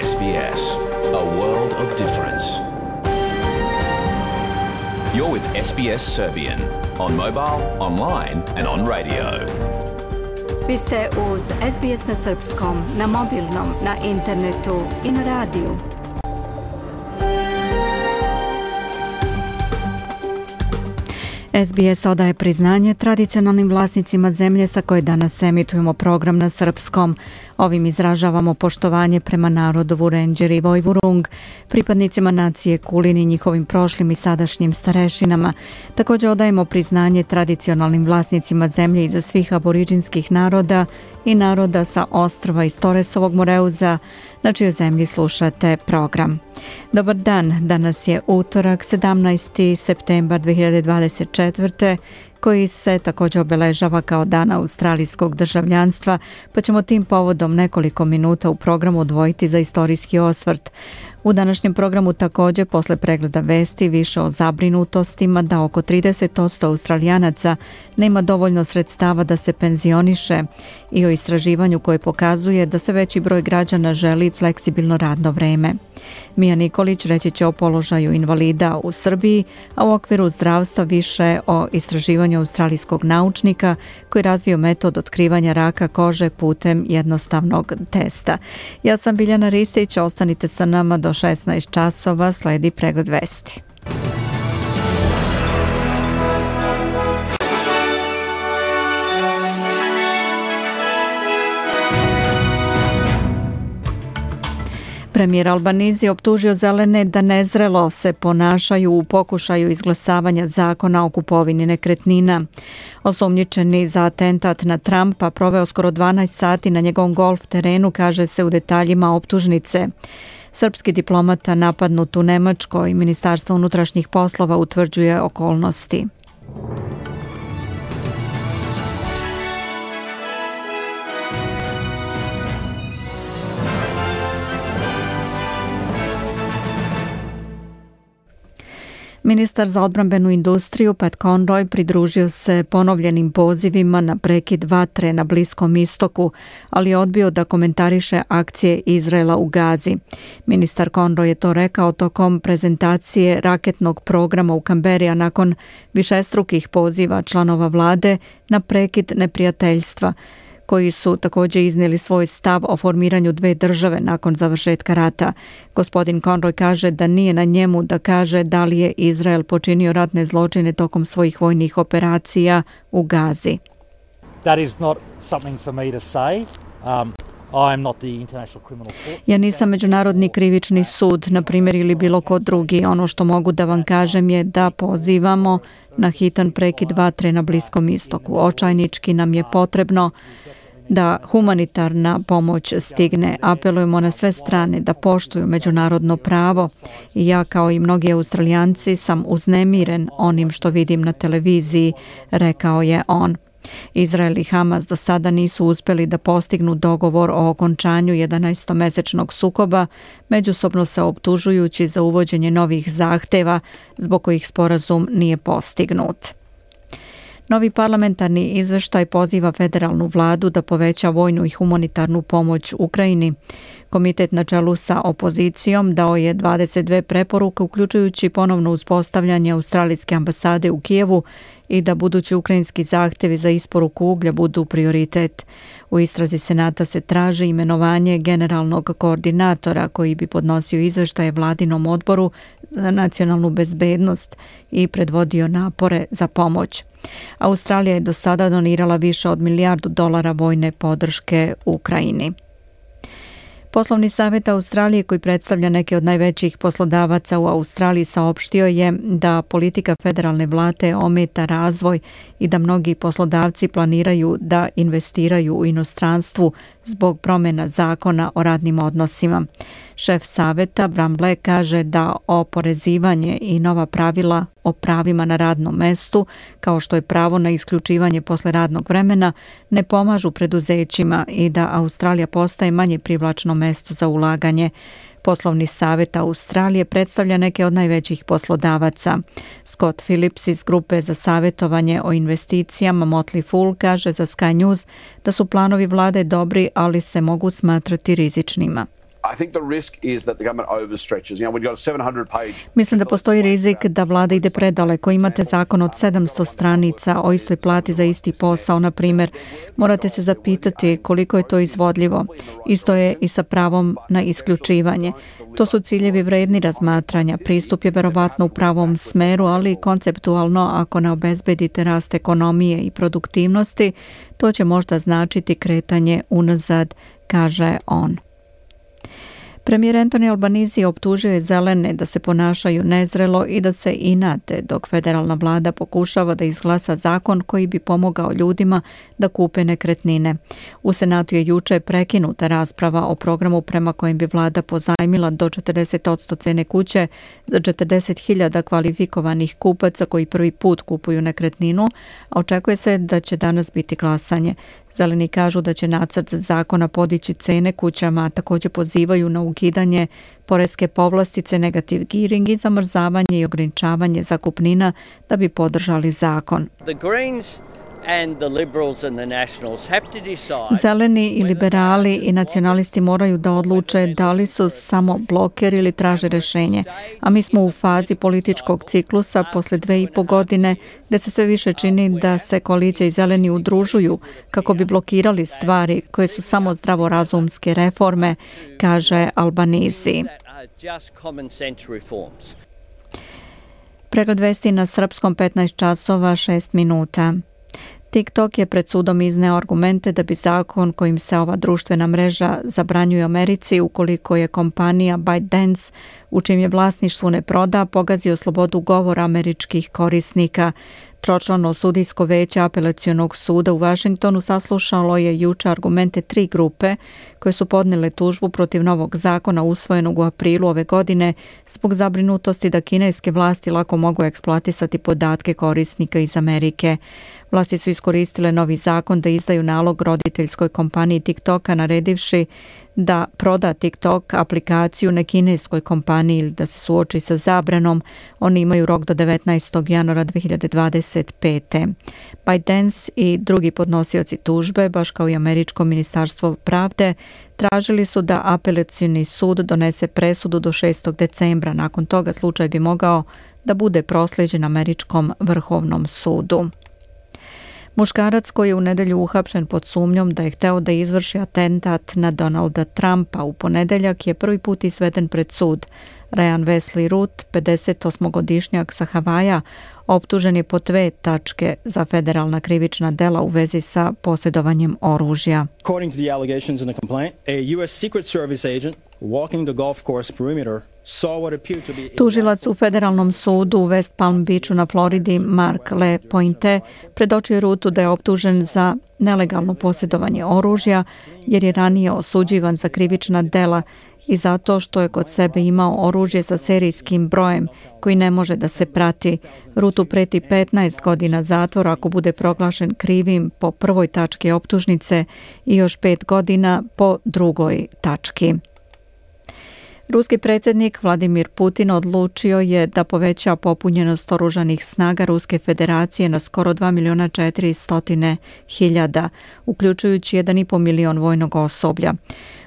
SBS, a world of difference. You're with SBS Serbian on mobile, online and on radio. Vi ste uz SBS na srpskom, na mobilnom, na internetu i na radiju. SBS odaje priznanje tradicionalnim vlasnicima zemlje sa koje danas emitujemo program na srpskom. Ovim izražavamo poštovanje prema narodu Vurenđer i Vojvurung, pripadnicima nacije Kulin i njihovim prošlim i sadašnjim starešinama. Također odajemo priznanje tradicionalnim vlasnicima zemlje iza svih aboriđinskih naroda i naroda sa ostrva iz Toresovog Moreuza, na čijoj zemlji slušate program. Dobar dan, danas je utorak 17. septembar 2024. koji se također obeležava kao dan australijskog državljanstva, pa ćemo tim povodom nekoliko minuta u programu odvojiti za istorijski osvrt. U današnjem programu također posle pregleda vesti više o zabrinutostima da oko 30% Australijanaca nema dovoljno sredstava da se penzioniše i o istraživanju koje pokazuje da se veći broj građana želi fleksibilno radno vreme. Mija Nikolić reći će o položaju invalida u Srbiji, a u okviru zdravstva više o istraživanju australijskog naučnika koji razvio metod otkrivanja raka kože putem jednostavnog testa. Ja sam Biljana Ristić, ostanite sa nama do 16 časova, sledi pregled vesti. Premijer Albanizi optužio Zelene da nezrelo se ponašaju u pokušaju izglasavanja zakona o kupovini nekretnina. Osumnjičeni za atentat na Trumpa proveo skoro 12 sati na njegovom golf terenu, kaže se u detaljima optužnice. Srpski diplomata napadnut u Nemačkoj, Ministarstvo unutrašnjih poslova utvrđuje okolnosti. Ministar za odbrambenu industriju Pat Conroy pridružio se ponovljenim pozivima na prekid vatre na Bliskom istoku, ali je odbio da komentariše akcije Izraela u Gazi. Ministar Conroy je to rekao tokom prezentacije raketnog programa u Kamberi, a nakon višestrukih poziva članova vlade na prekid neprijateljstva, koji su također iznijeli svoj stav o formiranju dve države nakon završetka rata. Gospodin Conroy kaže da nije na njemu da kaže da li je Izrael počinio ratne zločine tokom svojih vojnih operacija u Gazi. That is not something for me to say. I am not the International Criminal Court. Ja nisam Međunarodni krivični sud, na primjer, ili bilo ko drugi. Ono što mogu da vam kažem je da pozivamo na hitan prekid vatre na Bliskom istoku. Očajnički nam je potrebno da humanitarna pomoć stigne. Apelujemo na sve strane da poštuju međunarodno pravo i ja kao i mnogi Australijanci sam uznemiren onim što vidim na televiziji, rekao je on. Izrael i Hamas do sada nisu uspjeli da postignu dogovor o okončanju 11-mesečnog sukoba, međusobno se optužujući za uvođenje novih zahteva zbog kojih sporazum nije postignut. Novi parlamentarni izveštaj poziva federalnu vladu da poveća vojnu i humanitarnu pomoć Ukrajini. Komitet na čelu sa opozicijom dao je 22 preporuke, uključujući ponovno uspostavljanje australijske ambasade u Kijevu i da budući ukrajinski zahtjevi za isporuku uglja budu prioritet. U istrazi Senata se traži imenovanje generalnog koordinatora koji bi podnosio izveštaje vladinom odboru za nacionalnu bezbednost i predvodio napore za pomoć. Australija je do sada donirala više od $1 milijardu vojne podrške Ukrajini. Poslovni savjet Australije, koji predstavlja neke od najvećih poslodavaca u Australiji, saopštio je da politika federalne vlade ometa razvoj i da mnogi poslodavci planiraju da investiraju u inostranstvu zbog promjena zakona o radnim odnosima. Šef savjeta Bram Black kaže da oporezivanje i nova pravila o pravima na radnom mestu, kao što je pravo na isključivanje posle radnog vremena, ne pomažu preduzećima i da Australija postaje manje privlačno mesto za ulaganje. Poslovni savjet Australije predstavlja neke od najvećih poslodavaca. Scott Phillips iz grupe za savjetovanje o investicijama Motley Fool kaže za Sky News da su planovi vlade dobri, ali se mogu smatrati rizičnima. Mislim da postoji rizik da vlada ide predaleko. Imate zakon od 700 stranica o istoj plati za isti posao, na primjer. Morate se zapitati koliko je to izvodljivo. Isto je i sa pravom na isključivanje. To su ciljevi vredni razmatranja. Pristup je verovatno u pravom smeru, ali konceptualno ako ne obezbedite rast ekonomije i produktivnosti, to će možda značiti kretanje unazad, kaže on. Premijer Anthony Albanese optužio je zelene da se ponašaju nezrelo i da se inate, dok federalna vlada pokušava da izglasa zakon koji bi pomogao ljudima da kupe nekretnine. U Senatu je juče prekinuta rasprava o programu prema kojem bi vlada pozajmila do 40% cene kuće za 40.000 kvalifikovanih kupaca koji prvi put kupuju nekretninu, a očekuje se da će danas biti glasanje. Zeleni kažu da će nacrt zakona podići cene kućama, a također pozivaju na ukidanje poreske povlastice, negative gearing i zamrzavanje i ograničavanje zakupnina da bi podržali zakon. Zeleni i liberali i nacionalisti moraju da odluče da li su samo bloker ili traže rešenje, a mi smo u fazi političkog ciklusa posle 2,5 godine gde se sve više čini da se koalicija i zeleni udružuju kako bi blokirali stvari koje su samo zdravorazumske reforme, kaže Albanese. Pregled vesti na srpskom 15 časova 6 minuta. TikTok je pred sudom izneo argumente da bi zakon kojim se ova društvena mreža zabranjuje u Americi ukoliko je kompanija ByteDance, u čijem je vlasništvu ne proda, pogazio slobodu govora američkih korisnika. Tročlano sudijsko veće apelacionog suda u Vašingtonu saslušalo je juče argumente 3 grupe koje su podnele tužbu protiv novog zakona usvojenog u aprilu ove godine zbog zabrinutosti da kineske vlasti lako mogu eksploatisati podatke korisnika iz Amerike. Vlasti su iskoristile novi zakon da izdaju nalog roditeljskoj kompaniji TikToka naredivši da proda TikTok aplikaciju ne kineskoj kompaniji ili da se suoči sa zabranom. Oni imaju rok do 19. januara 2025. ByteDance i drugi podnosioci tužbe, baš kao i Američko ministarstvo pravde, tražili su da apelacioni sud donese presudu do 6. decembra. Nakon toga slučaj bi mogao da bude proslijeđen Američkom vrhovnom sudu. Muškarac koji je u nedelju uhapšen pod sumnjom da je hteo da izvrši atentat na Donalda Trumpa u ponedeljak je prvi put izveden pred sud. Ryan Wesley Root, 58-godišnjak sa Havaja, optužen je po 2 tačke za federalna krivična dela u vezi sa posjedovanjem oružja. According to the allegations in the complaint, a US Secret Service agent walking the golf course perimeter saw what appeared to be... Tužilac u federalnom sudu u West Palm Beachu na Floridi, Mark LePointe, predočio Rootu da je optužen za nelegalno posjedovanje oružja jer je ranije osuđivan za krivična dela i zato što je kod sebe imao oružje sa serijskim brojem koji ne može da se prati. Rootu preti 15 godina zatvora ako bude proglašen krivim po prvoj tački optužnice i još 5 godina po drugoj tački. Ruski predsjednik Vladimir Putin odlučio je da poveća popunjenost oružanih snaga Ruske federacije na skoro 2.400.000, uključujući 1,5 milion vojnog osoblja.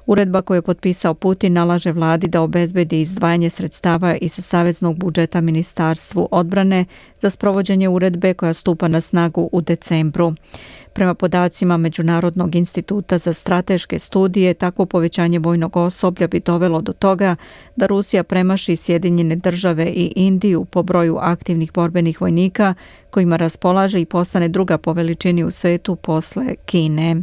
Uredba koju je potpisao Putin nalaže vladi da obezbedi izdvajanje sredstava iz saveznog budžeta Ministarstvu odbrane za sprovođenje uredbe koja stupa na snagu u decembru. Prema podacima Međunarodnog instituta za strateške studije, takvo povećanje vojnog osoblja bi dovelo do toga da Rusija premaši Sjedinjene države i Indiju po broju aktivnih borbenih vojnika kojima raspolaže i postane druga po veličini u svetu posle Kine.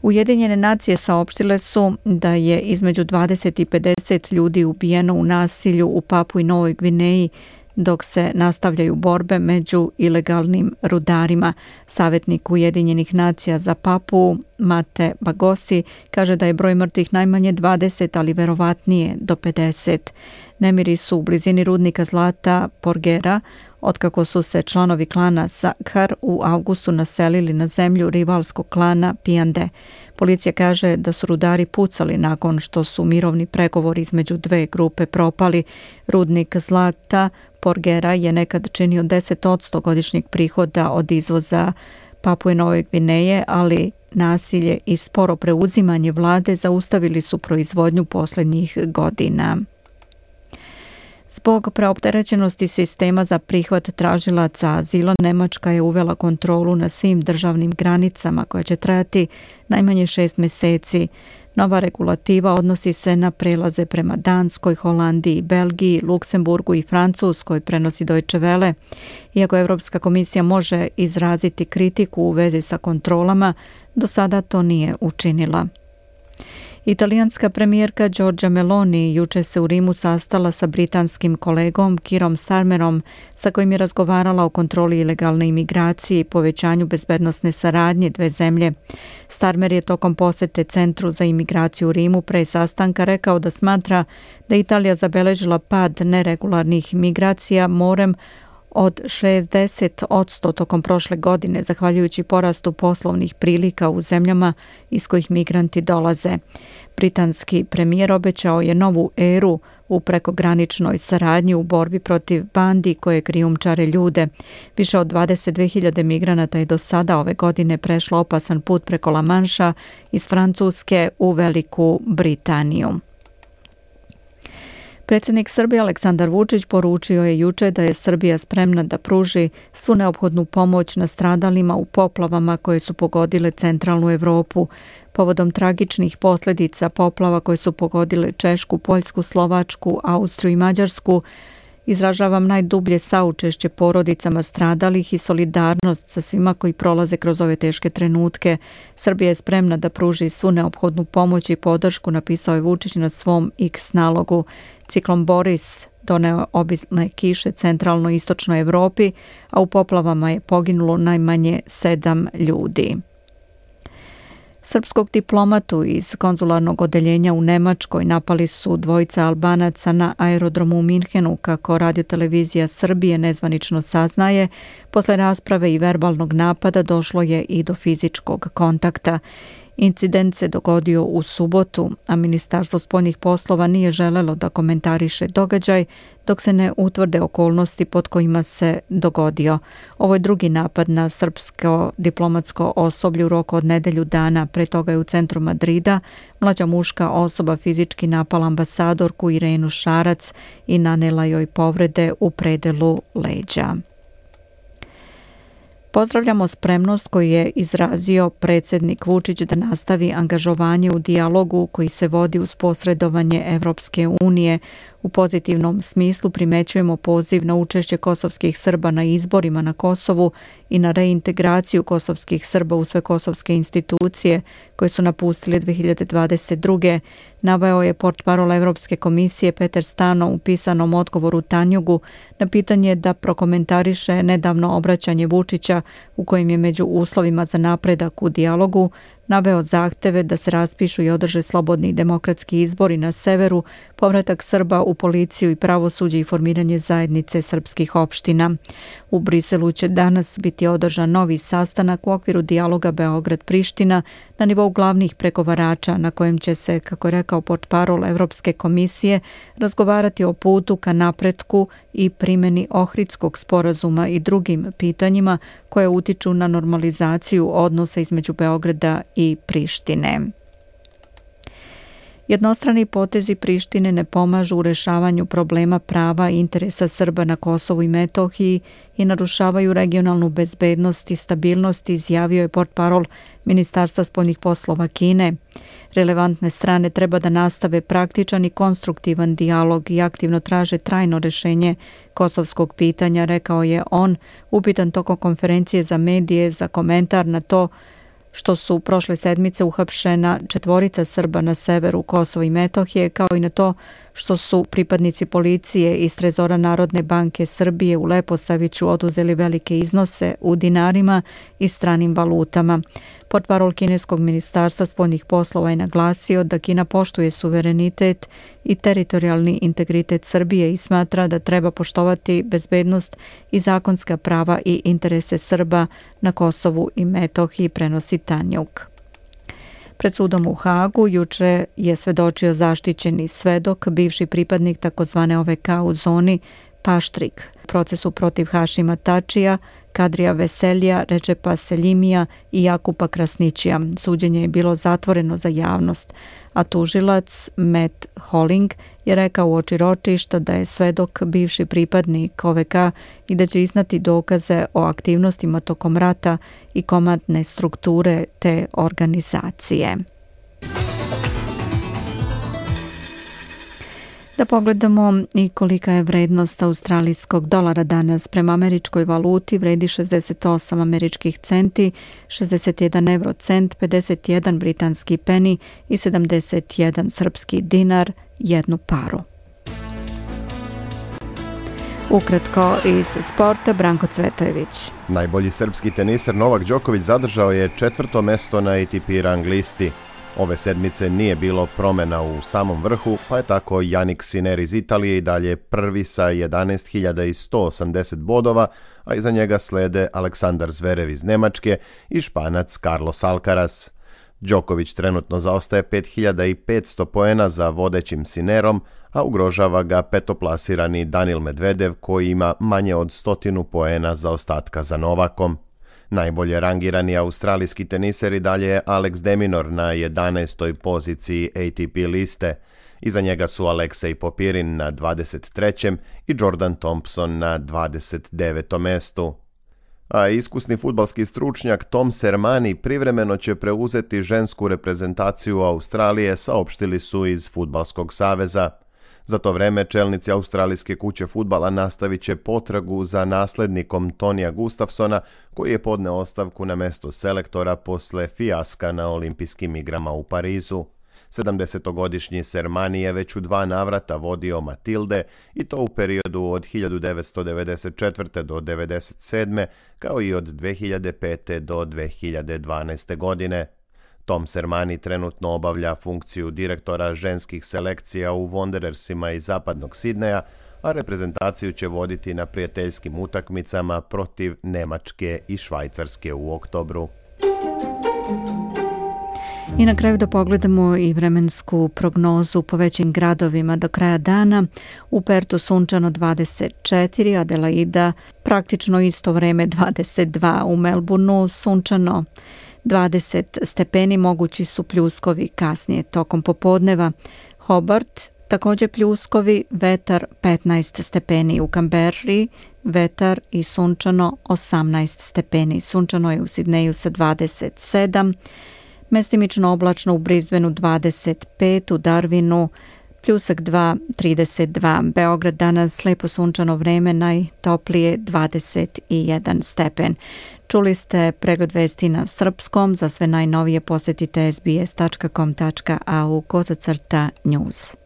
Ujedinjene nacije saopštile su da je između 20 i 50 ljudi ubijeno u nasilju u Papui i Novoj Gvineji dok se nastavljaju borbe među ilegalnim rudarima. Savjetnik Ujedinjenih nacija za Papuu, Mate Bagosi, kaže da je broj mrtvih najmanje 20, ali verovatnije do 50. Nemiri su u blizini rudnika zlata Porgera, otkako su se članovi klana Sakhar u avgustu naselili na zemlju rivalskog klana Piande. Policija kaže da su rudari pucali nakon što su mirovni pregovori između 2 grupe propali. Rudnik zlata Porgera je nekad činio 10% godišnjeg prihoda od izvoza Papue Nove Gvineje, ali nasilje i sporo preuzimanje vlade zaustavili su proizvodnju posljednjih godina. Zbog preopterećenosti sistema za prihvat tražilaca azila, Nemačka je uvela kontrolu na svim državnim granicama koja će trajati najmanje 6 mjeseci. Nova regulativa odnosi se na prelaze prema Danskoj, Holandiji, Belgiji, Luksemburgu i Francuskoj, prenosi Deutsche Welle. Iako Europska komisija može izraziti kritiku u vezi sa kontrolama, do sada to nije učinila. Italijanska premijerka Giorgia Meloni juče se u Rimu sastala sa britanskim kolegom Kierom Starmerom, sa kojim je razgovarala o kontroli ilegalne imigracije i povećanju bezbednosne saradnje dve zemlje. Starmer je tokom posjete Centru za imigraciju u Rimu pre sastanka rekao da smatra da Italija zabeležila pad neregularnih migracija morem od 60% tokom prošle godine, zahvaljujući porastu poslovnih prilika u zemljama iz kojih migranti dolaze. Britanski premijer obećao je novu eru u prekograničnoj saradnji u borbi protiv bandi koje krijumčare ljude. Više od 22.000 migranata je do sada ove godine prešlo opasan put preko La Manša iz Francuske u Veliku Britaniju. Predsjednik Srbije Aleksandar Vučić poručio je juče da je Srbija spremna da pruži svu neophodnu pomoć nastradalima u poplavama koje su pogodile centralnu Evropu. Povodom tragičnih posljedica poplava koje su pogodile Češku, Poljsku, Slovačku, Austriju i Mađarsku, izražavam najdublje saučešće porodicama stradalih i solidarnost sa svima koji prolaze kroz ove teške trenutke. Srbija je spremna da pruži svu neophodnu pomoć i podršku, napisao je Vučić na svom X nalogu. Ciklon Boris doneo obilne kiše centralno istočnoj Evropi, a u poplavama je poginulo najmanje 7 ljudi. Srpskog diplomatu iz konzularnog odeljenja u Nemačkoj napali su dvojica Albanaca na aerodromu u Minhenu, kako radiotelevizija Srbije nezvanično saznaje. Posle rasprave i verbalnog napada došlo je i do fizičkog kontakta. Incident se dogodio u subotu, a Ministarstvo spoljnih poslova nije želelo da komentariše događaj dok se ne utvrde okolnosti pod kojima se dogodio. Ovo je drugi napad na srpsko diplomatsko osoblje u roku od nedelju dana. Pre toga je u centru Madrida mlađa muška osoba fizički napala ambasadorku Irenu Šarac i nanela joj povrede u predelu leđa. Pozdravljamo spremnost koju je izrazio predsjednik Vučić da nastavi angažovanje u dijalogu koji se vodi uz posredovanje Evropske unije. U pozitivnom smislu primećujemo poziv na učešće kosovskih Srba na izborima na Kosovu i na reintegraciju kosovskih Srba u sve kosovske institucije koje su napustili 2022. Naveo je portparol Evropske komisije Peter Stano u pisanom odgovoru Tanjugu na pitanje da prokomentariše nedavno obraćanje Vučića u kojem je među uslovima za napredak u dijalogu naveo zahteve da se raspišu i održe slobodni i demokratski izbori na severu, povratak Srba u policiju i pravosuđe i formiranje zajednice srpskih opština. U Briselu će danas biti održan novi sastanak u okviru dijaloga Beograd-Priština na nivou glavnih pregovarača na kojem će se, kako je rekao portparol Evropske komisije, razgovarati o putu ka napretku i primjeni Ohridskog sporazuma i drugim pitanjima koje utiču na normalizaciju odnosa između Beograda i Prištine. Jednostrani potezi Prištine ne pomažu u rešavanju problema prava i interesa Srba na Kosovu i Metohiji i narušavaju regionalnu bezbednost i stabilnost, izjavio je portparol Ministarstva spoljnih poslova Kine. Relevantne strane treba da nastave praktičan i konstruktivan dijalog i aktivno traže trajno rešenje kosovskog pitanja, rekao je on, upitan tokom konferencije za medije za komentar na to što su prošle sedmice uhapšena 4 Srba na severu Kosova i Metohije, kao i na to što su pripadnici policije iz Trezora Narodne banke Srbije u Leposaviću oduzeli velike iznose u dinarima i stranim valutama. Portparol kineskog ministarstva spoljnih poslova je naglasio da Kina poštuje suverenitet i teritorijalni integritet Srbije i smatra da treba poštovati bezbednost i zakonska prava i interese Srba na Kosovu i Metohiji, prenosi Tanjuk. Pred sudom u Hagu juče je svedočio zaštićeni svedok, bivši pripadnik takozvane OVK u zoni Paštrik. U procesu protiv Hašima Tačija, Kadrija Veselija, Recepa Seljimija i Jakupa Krasnićija. Suđenje je bilo zatvoreno za javnost, a tužilac Matt Holling je rekao uoči ročišta da je svedok bivši pripadnik OVK i da će iznati dokaze o aktivnostima tokom rata i komandne strukture te organizacije. Da pogledamo i kolika je vrednost australijskog dolara danas. Prema američkoj valuti vredi 68 američkih centi, 61 eurocent, 51 britanski peni i 71 srpski dinar, jednu paru. Ukratko iz sporta, Branko Cvetojević. Najbolji srpski teniser Novak Đoković zadržao je 4. mesto na ATP rang listi. Ove sedmice nije bilo promjena u samom vrhu, pa je tako Jannik Sinner iz Italije i dalje prvi sa 11.180 bodova, a iza njega slede Aleksandar Zverev iz Nemačke i Španac Carlos Alcaraz. Đoković trenutno zaostaje 5.500 poena za vodećim Sinnerom, a ugrožava ga petoplasirani Danil Medvedev koji ima manje od 100 poena zaostatka za Novakom. Najbolje rangirani australijski teniser i dalje je Alex de Minaur na 11. poziciji ATP liste. Iza njega su Aleksej Popirin na 23. i Jordan Thompson na 29. mestu. A iskusni fudbalski stručnjak Tom Sermanni privremeno će preuzeti žensku reprezentaciju Australije, saopštili su iz Fudbalskog saveza. Za to vreme čelnici australijske kuće fudbala nastavit će potragu za naslednikom Tonija Gustafsona, koji je podneo ostavku na mesto selektora posle fijaska na olimpijskim igrama u Parizu. 70-godišnji Sermanni je već u 2 navrata vodio Matilde i to u periodu od 1994. do 1997. kao i od 2005. do 2012. godine. Tom Sermanni trenutno obavlja funkciju direktora ženskih selekcija u Wanderersima iz zapadnog Sidneja, a reprezentaciju će voditi na prijateljskim utakmicama protiv Nemačke i Švajcarske u oktobru. I na kraju da pogledamo i vremensku prognozu po većim gradovima do kraja dana. U Pertu sunčano 24, Adelaida praktično isto vreme 22, u Melbourneu sunčano 20 stepeni, mogući su pljuskovi kasnije tokom popodneva. Hobart također pljuskovi, vetar 15 stepeni, u Canberri vetar i sunčano 18 stepeni. Sunčano je u Sidneju sa 27, mestimično oblačno u Brisbaneu 25, u Darwinu pljusak 2, 32. Beograd danas lepo sunčano vreme, najtoplije 21 stepen. Čuli ste pregled vesti na srpskom. Za sve najnovije posjetite sbs.com.au/news.